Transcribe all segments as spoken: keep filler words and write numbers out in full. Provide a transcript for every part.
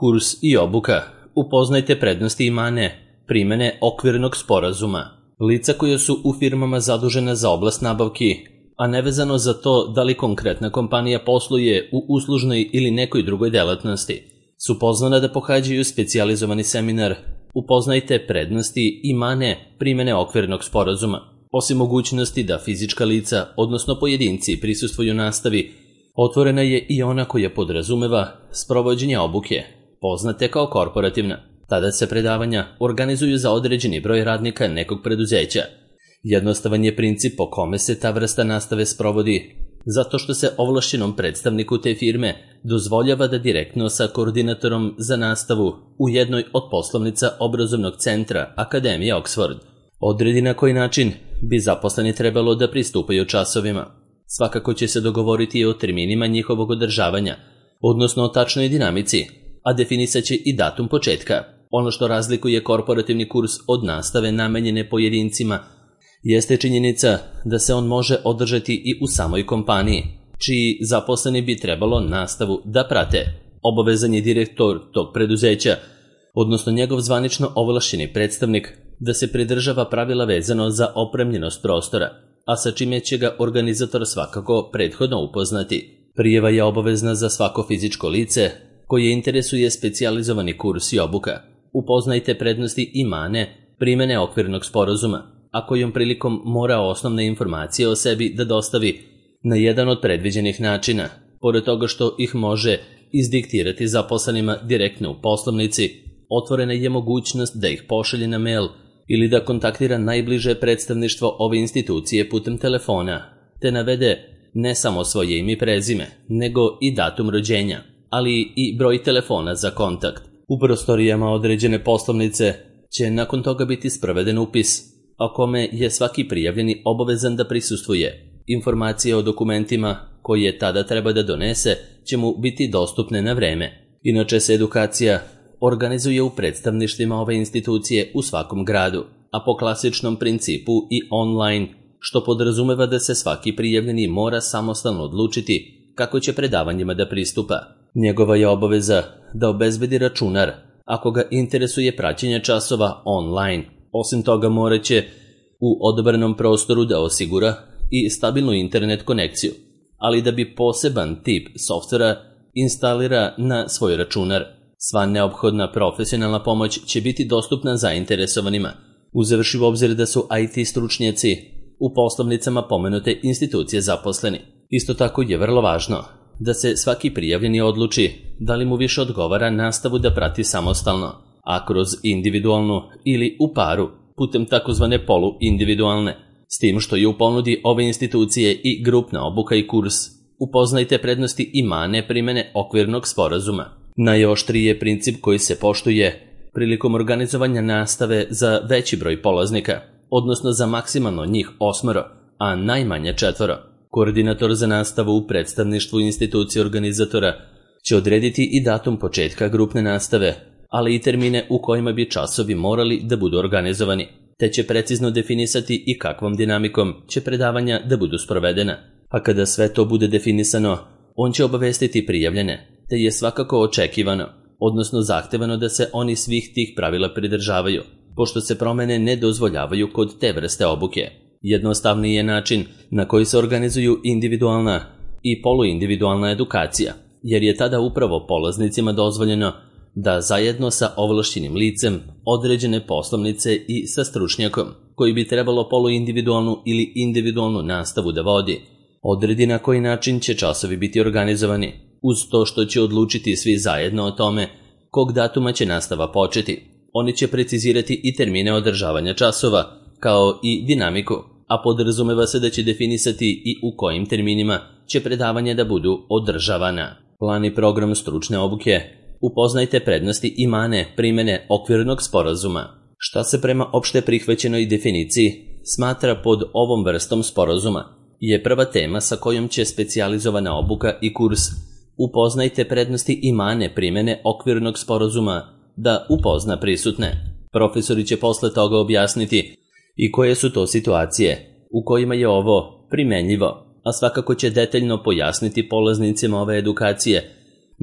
Kurs i obuka. Upoznajte prednosti i mane primene okvirnog sporazuma. Lica koja su u firmama zadužena za oblast nabavki, a nevezano za to da li konkretna kompanija posluje u uslužnoj ili nekoj drugoj delatnosti, su pozvana da pohađaju specijalizovani seminar Upoznajte prednosti i mane primene okvirnog sporazuma. Osim mogućnosti da fizička lica, odnosno pojedinci, prisustvuju nastavi, otvorena je i ona koja podrazumeva sprovođenje obuke, poznate kao korporativna. Tada se predavanja organizuju za određeni broj radnika nekog preduzeća. Jednostavan je princip po kome se ta vrsta nastave sprovodi, zato što se ovlašćenom predstavniku te firme dozvoljava da direktno sa koordinatorom za nastavu u jednoj od poslovnica obrazovnog centra Akademije Oxford odredi na koji način bi zaposleni trebalo da pristupaju časovima. Svakako će se dogovoriti o terminima njihovog održavanja, odnosno o tačnoj dinamici, a definisat će i datum početka. Ono što razlikuje korporativni kurs od nastave namenjene pojedincima jeste činjenica da se on može održati i u samoj kompaniji, čiji zaposleni bi trebalo nastavu da prate. Obavezan je direktor tog preduzeća, odnosno njegov zvanično ovlašćeni predstavnik, da se pridržava pravila vezano za opremljenost prostora, a sa čime će ga organizator svakako prethodno upoznati. Prijava je obavezna za svako fizičko lice koje interesuje specijalizovani kurs i obuka. Upoznajte prednosti i mane primene okvirnog sporazuma, a kojom prilikom mora osnovne informacije o sebi da dostavi na jedan od predviđenih načina, pored toga što ih može izdiktirati zaposlenima direktno u poslovnici. Otvorena je mogućnost da ih pošalje na mail ili da kontaktira najbliže predstavništvo ove institucije putem telefona, te navede ne samo svoje ime i prezime, nego i datum rođenja, ali i broj telefona za kontakt. U prostorijama određene poslovnice će nakon toga biti sproveden upis, o kome je svaki prijavljeni obavezan da prisustvuje. Informacije o dokumentima koje tada treba da donese će mu biti dostupne na vreme. Inače se edukacija organizuje u predstavništvima ove institucije u svakom gradu, a po klasičnom principu i online, što podrazumeva da se svaki prijavljeni mora samostalno odlučiti kako će predavanjima da pristupa. Njegova je obaveza da obezbedi računar ako ga interesuje praćenje časova online. Osim toga morat će u odabranom prostoru da osigura i stabilnu internet konekciju, ali da bi poseban tip softvera instalira na svoj računar. Sva neophodna profesionalna pomoć će biti dostupna zainteresovanima, uzevši u obzir da su I T stručnjaci u poslovnicama pomenute institucije zaposleni. Isto tako je vrlo važno da se svaki prijavljeni odluči da li mu više odgovara nastavu da prati samostalno, a kroz individualnu ili u paru putem takozvane poluindividualne, s tim što je u ponudi ove institucije i grupna obuka i kurs. Upoznajte prednosti i mane primene okvirnog sporazuma. Najoštriji je princip koji se poštuje prilikom organizovanja nastave za veći broj polaznika, odnosno za maksimalno njih osmoro, a najmanje četvoro. Koordinator za nastavu u predstavništvu institucije organizatora će odrediti i datum početka grupne nastave, ali i termine u kojima bi časovi morali da budu organizovani, te će precizno definisati i kakvom dinamikom će predavanja da budu sprovedena. A kada sve to bude definisano, on će obavestiti prijavljene, te je svakako očekivano, odnosno zahtevano da se oni svih tih pravila pridržavaju, pošto se promene ne dozvoljavaju kod te vrste obuke. Jednostavniji je način na koji se organizuju individualna i poluindividualna edukacija, jer je tada upravo polaznicima dozvoljeno da zajedno sa ovlašćenim licem određene poslovnice i sa stručnjakom, koji bi trebalo poluindividualnu ili individualnu nastavu da vodi, odredi na koji način će časovi biti organizovani, uz to što će odlučiti svi zajedno o tome kog datuma će nastava početi. Oni će precizirati i termine održavanja časova, kao i dinamiku, a podrazumeva se da će definisati i u kojim terminima će predavanja da budu održavana. Plan i program stručne obuke. Upoznajte prednosti i mane primene okvirnog sporazuma. Šta se prema opšte prihvaćenoj definiciji smatra pod ovom vrstom sporazuma je prva tema sa kojom će specijalizovana obuka i kurs Upoznajte prednosti i mane primene okvirnog sporazuma da upozna prisutne. Profesori će posle toga objasniti i koje su to situacije u kojima je ovo primenljivo, a svakako će detaljno pojasniti polaznicima ove edukacije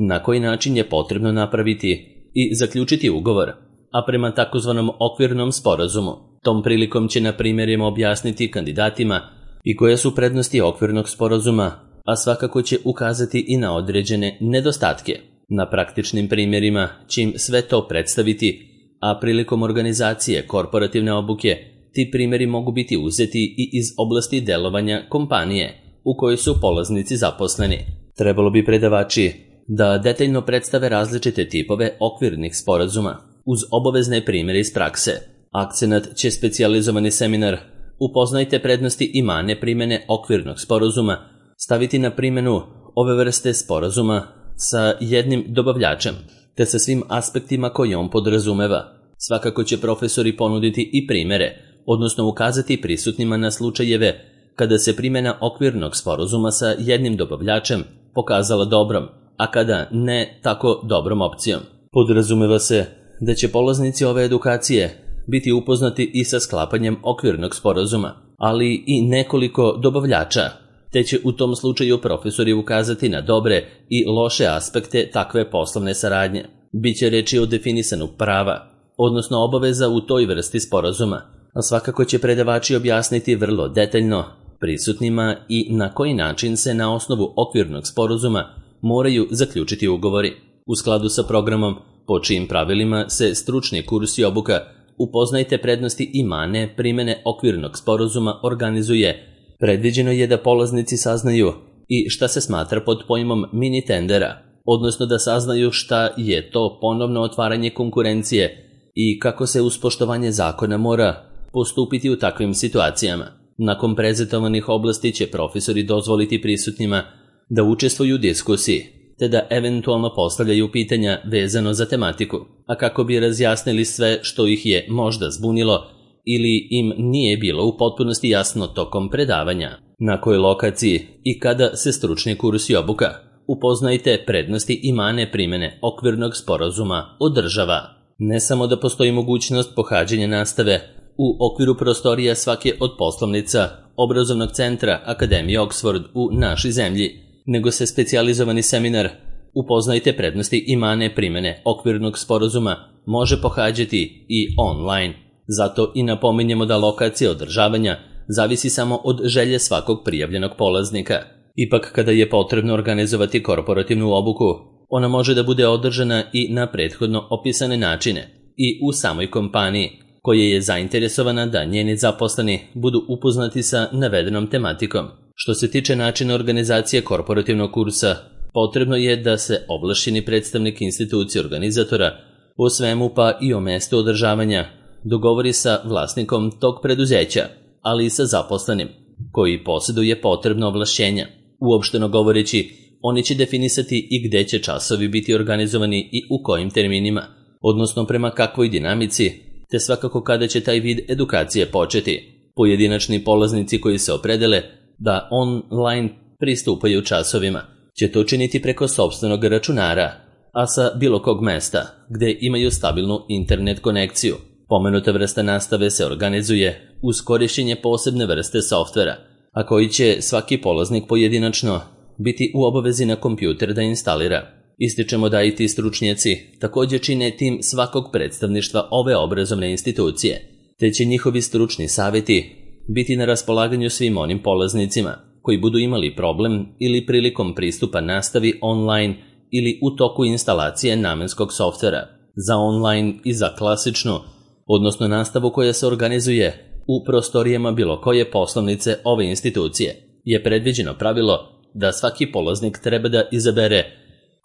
na koji način je potrebno napraviti i zaključiti ugovor, a prema takozvanom okvirnom sporazumu. Tom prilikom će na primjerima objasniti kandidatima i koje su prednosti okvirnog sporazuma, a svakako će ukazati i na određene nedostatke. Na praktičnim primjerima će im sve to predstaviti, a prilikom organizacije korporativne obuke ti primjeri mogu biti uzeti i iz oblasti delovanja kompanije u kojoj su polaznici zaposleni. Trebalo bi predavači da detaljno predstave različite tipove okvirnih sporazuma uz obavezne primjere iz prakse. Akcenat će specijalizovani seminar "Upoznajte prednosti i mane primjene okvirnog sporazuma" staviti na primjenu ove vrste sporazuma sa jednim dobavljačem, te sa svim aspektima koje on podrazumeva. Svakako će profesori ponuditi i primjere, odnosno ukazati prisutnima na slučajeve kada se primjena okvirnog sporazuma sa jednim dobavljačem pokazala dobrom, a kada ne tako dobrom opcijom. Podrazumeva se da će polaznici ove edukacije biti upoznati i sa sklapanjem okvirnog sporazuma, ali i nekoliko dobavljača, te će u tom slučaju profesori ukazati na dobre i loše aspekte takve poslovne saradnje. Biće reči o definisanu prava, odnosno obaveza u toj vrsti sporazuma, a svakako će predavači objasniti vrlo detaljno prisutnima i na koji način se na osnovu okvirnog sporazuma moraju zaključiti ugovori. U skladu sa programom po čijim pravilima se stručni kurs i obuka "Upoznajte prednosti i mane primjene okvirnog sporazuma" organizuje, predviđeno je da polaznici saznaju i šta se smatra pod pojmom mini tendera, odnosno da saznaju šta je to ponovno otvaranje konkurencije i kako se uz poštovanje zakona mora postupiti u takvim situacijama. Nakon prezentovanih oblasti će profesori dozvoliti prisutnima da učestvuju u diskusiji, te da eventualno postavljaju pitanja vezano za tematiku, a kako bi razjasnili sve što ih je možda zbunilo ili im nije bilo u potpunosti jasno tokom predavanja. Na kojoj lokaciji i kada se stručni kurs i obuka "Upoznajte prednosti i mane primjene okvirnog sporazuma" održava. Ne samo da postoji mogućnost pohađanja nastave u okviru prostorija svake od poslovnica obrazovnog centra Akademije Oxford u našoj zemlji, nego se specijalizovani seminar "Upoznajte prednosti i mane primjene okvirnog sporazuma" može pohađati i online. Zato i napominjemo da lokacija održavanja zavisi samo od želje svakog prijavljenog polaznika. Ipak, kada je potrebno organizovati korporativnu obuku, ona može da bude održana i na prethodno opisane načine i u samoj kompaniji, koja je zainteresovana da njeni zaposleni budu upoznati sa navedenom tematikom. Što se tiče načina organizacije korporativnog kursa, potrebno je da se ovlašćeni predstavnik institucije organizatora o svemu pa i o mestu održavanja dogovori sa vlasnikom tog preduzeća, ali i sa zaposlenim, koji posjeduje potrebno ovlašćenja. Uopšteno govoreći, oni će definisati i gde će časovi biti organizovani i u kojim terminima, odnosno prema kakvoj dinamici, te svakako kada će taj vid edukacije početi. Pojedinačni polaznici koji se opredele da online pristupaju časovima će to činiti preko sopstvenog računara, a sa bilo kog mesta gde imaju stabilnu internet konekciju. Pomenuta vrsta nastave se organizuje uz korišćenje posebne vrste softvera, a koji će svaki polaznik pojedinačno biti u obavezi na kompjuter da instalira. Ističemo da i ti stručnjaci također čine tim svakog predstavništva ove obrazovne institucije, te će njihovi stručni savjeti biti na raspolaganju svim onim polaznicima koji budu imali problem ili prilikom pristupa nastavi online ili u toku instalacije namenskog softvera. Za online i za klasičnu, odnosno nastavu koja se organizuje u prostorijama bilo koje poslovnice ove institucije, je predviđeno pravilo da svaki polaznik treba da izabere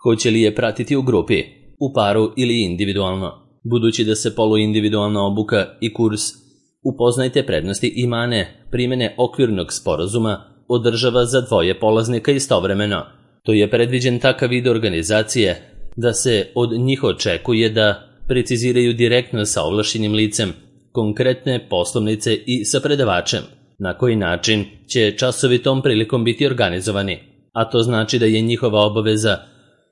hoće li je pratiti u grupi, u paru ili individualno. Budući da se poluindividualna obuka i kurs "Upoznajte prednosti i mane primjene okvirnog sporazuma" održava za dvoje polaznika istovremeno, to je predviđen takav vid organizacije da se od njih očekuje da preciziraju direktno sa ovlašćenim licem konkretne poslovnice i sa predavačem na koji način će časovi tom prilikom biti organizovani, a to znači da je njihova obaveza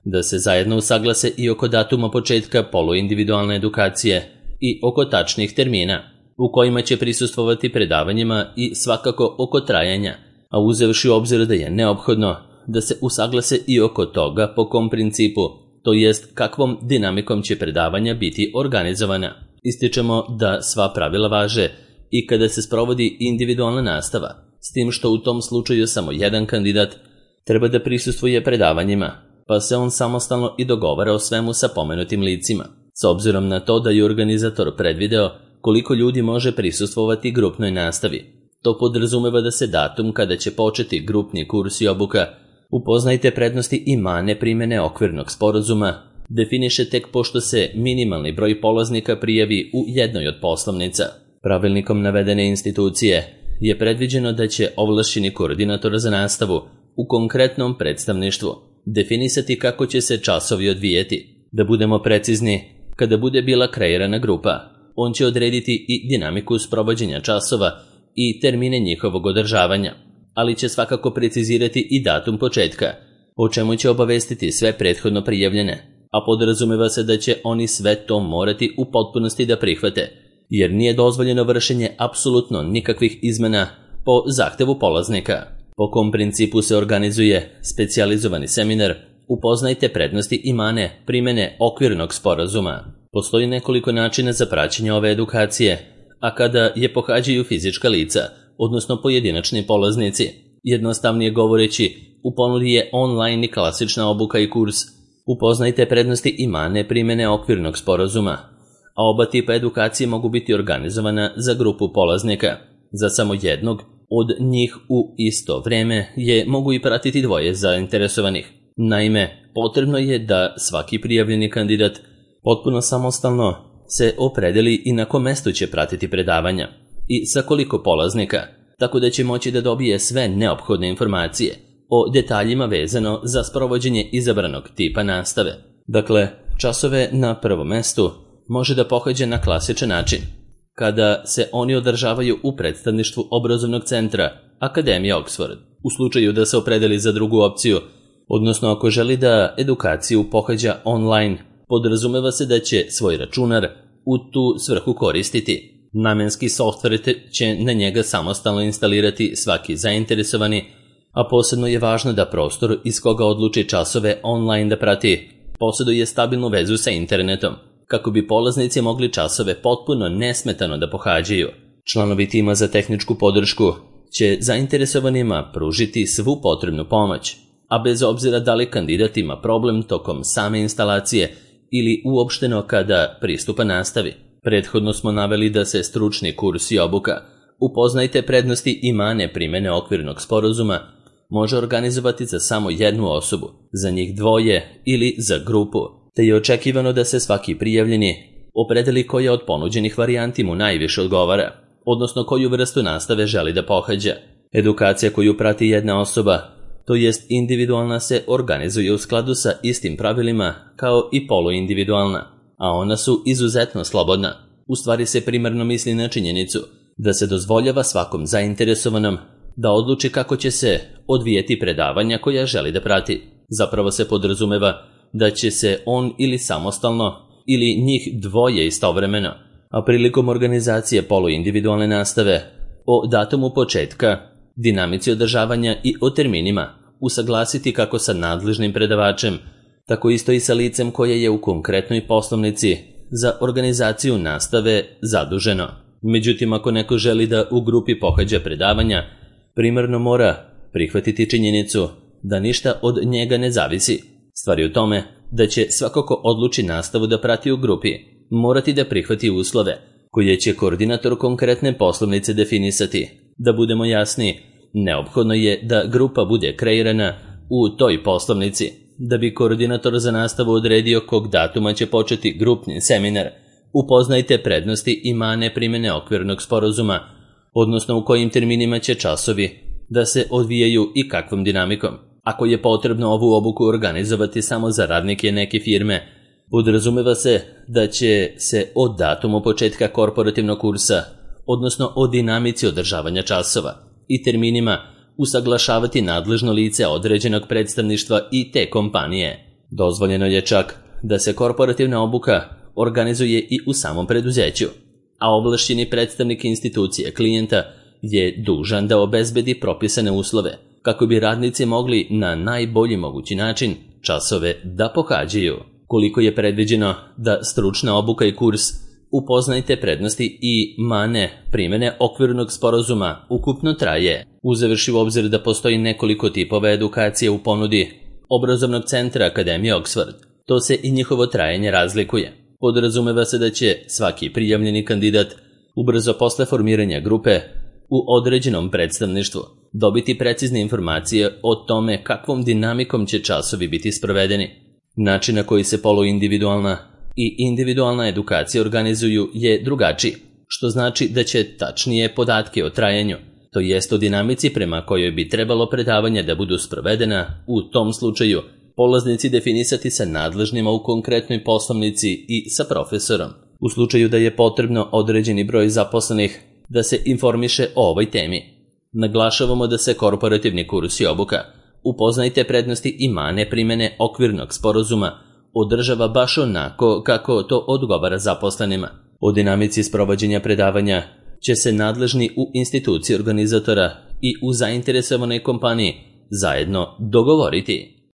da se zajedno usaglase i oko datuma početka poluindividualne edukacije i oko tačnih termina u kojima će prisustvovati predavanjima i svakako oko trajanja, a uzevši u obzir da je neophodno da se usaglase i oko toga po kom principu, to jest kakvom dinamikom će predavanja biti organizovana. Ističemo da sva pravila važe i kada se sprovodi individualna nastava, s tim što u tom slučaju samo jedan kandidat treba da prisustvuje predavanjima, pa se on samostalno i dogovara o svemu sa pomenutim licima. S obzirom na to da je organizator predvideo koliko ljudi može prisustvovati grupnoj nastavi, to podrazumeva da se datum kada će početi grupni kurs i obuka Upoznajte prednosti i mane primene okvirnog sporazuma definiše tek pošto se minimalni broj polaznika prijavi u jednoj od poslovnica. Pravilnikom navedene institucije je predviđeno da će ovlašćeni koordinator za nastavu u konkretnom predstavništvu definisati kako će se časovi odvijeti. Da budemo precizni, kada bude bila kreirana grupa, on će odrediti i dinamiku sprovođenja časova i termine njihovog održavanja, ali će svakako precizirati i datum početka, o čemu će obavestiti sve prethodno prijavljene, a podrazumeva se da će oni sve to morati u potpunosti da prihvate, jer nije dozvoljeno vršenje apsolutno nikakvih izmena po zahtevu polaznika. Po kom principu se organizuje specijalizovani seminar Upoznajte prednosti i mane primene okvirnog sporazuma. Postoji nekoliko načina za praćenje ove edukacije, a kada je pohađaju fizička lica, odnosno pojedinačni polaznici, jednostavnije govoreći, u ponudi je online i klasična obuka i kurs Upoznajte prednosti i mane primene okvirnog sporazuma, a oba tipa edukacije mogu biti organizovana za grupu polaznika. Za samo jednog od njih u isto vreme je mogu i pratiti dvoje zainteresovanih. Naime, potrebno je da svaki prijavljeni kandidat potpuno samostalno se opredeli i na kom mestu će pratiti predavanja i sa koliko polaznika, tako da će moći da dobije sve neophodne informacije o detaljima vezano za sprovođenje izabranog tipa nastave. Dakle, časove na prvom mestu može da pohađa na klasičan način, kada se oni održavaju u predstavništvu obrazovnog centra Akademije Oxford. U slučaju da se opredeli za drugu opciju, odnosno ako želi da edukaciju pohađa online, podrazumeva se da će svoj računar u tu svrhu koristiti. Namenski softver će na njega samostalno instalirati svaki zainteresovani, a posebno je važno da prostor iz koga odluči časove online da prati posjeduje stabilnu vezu sa internetom, kako bi polaznici mogli časove potpuno nesmetano da pohađaju. Članovi tima za tehničku podršku će zainteresovanima pružiti svu potrebnu pomoć, a bez obzira da li kandidat ima problem tokom same instalacije ili uopšteno kada pristupa nastavi. Prethodno smo naveli da se stručni kurs i obuka Upoznajte prednosti i mane primene okvirnog sporazuma može organizovati za samo jednu osobu, za njih dvoje ili za grupu, te je očekivano da se svaki prijavljeni opredeli koja od ponuđenih varijanti mu najviše odgovara, odnosno koju vrstu nastave želi da pohađa. Edukacija koju prati jedna osoba, to jest individualna, se organizuje u skladu sa istim pravilima kao i poluindividualna, a ona su izuzetno slobodna. U stvari se primarno misli na činjenicu da se dozvoljava svakom zainteresovanom da odluči kako će se odvijeti predavanja koja želi da prati. Zapravo se podrazumeva da će se on ili samostalno ili njih dvoje istovremeno, a prilikom organizacije poluindividualne nastave, o datumu početka, dinamici održavanja i o terminima usaglasiti kako sa nadležnim predavačem, tako isto i sa licem koje je u konkretnoj poslovnici za organizaciju nastave zaduženo. Međutim, ako neko želi da u grupi pohađa predavanja, primarno mora prihvatiti činjenicu da ništa od njega ne zavisi. Stvar je u tome da će svako ko odluči nastavu da prati u grupi morati da prihvati uslove koje će koordinator konkretne poslovnice definisati. Da budemo jasni, neophodno je da grupa bude kreirana u toj poslovnici, da bi koordinator za nastavu odredio kog datuma će početi grupni seminar Upoznajte prednosti i mane primene okvirnog sporazuma, odnosno u kojim terminima će časovi da se odvijaju i kakvom dinamikom. Ako je potrebno ovu obuku organizovati samo za radnike neke firme, podrazumeva se da će se od datumu početka korporativnog kursa, odnosno o dinamici održavanja časova i terminima, usaglašavati nadležno lice određenog predstavništva i te kompanije. Dozvoljeno je čak da se korporativna obuka organizuje i u samom preduzeću, a ovlašćeni predstavnik institucije klijenta je dužan da obezbedi propisane uslove kako bi radnici mogli na najbolji mogući način časove da pohađaju. Koliko je predviđeno da stručna obuka i kurs Upoznajte prednosti i mane primene okvirnog sporazuma ukupno traje, uzevši u obzir da postoji nekoliko tipova edukacije u ponudi obrazovnog centra Akademije Oxford. To se i njihovo trajanje razlikuje. Podrazumeva se da će svaki prijavljeni kandidat ubrzo posle formiranja grupe u određenom predstavništvu dobiti precizne informacije o tome kakvom dinamikom će časovi biti sprovedeni. Način na koji se poluindividualna i individualna edukacija organizuju je drugačiji, što znači da će tačnije podatke o trajanju, to jest o dinamici prema kojoj bi trebalo predavanja da budu sprovedena, u tom slučaju polaznici definisati sa nadležnima u konkretnoj poslovnici i sa profesorom. U slučaju da je potrebno određeni broj zaposlenih da se informiše o ovoj temi. Naglašavamo da se korporativni kurs i obuka Upoznajte prednosti i mane primene okvirnog sporazuma održava baš onako kako to odgovara zaposlenima. O dinamici sprovođenja predavanja će se nadležni u instituciji organizatora i u zainteresovanoj kompaniji zajedno dogovoriti.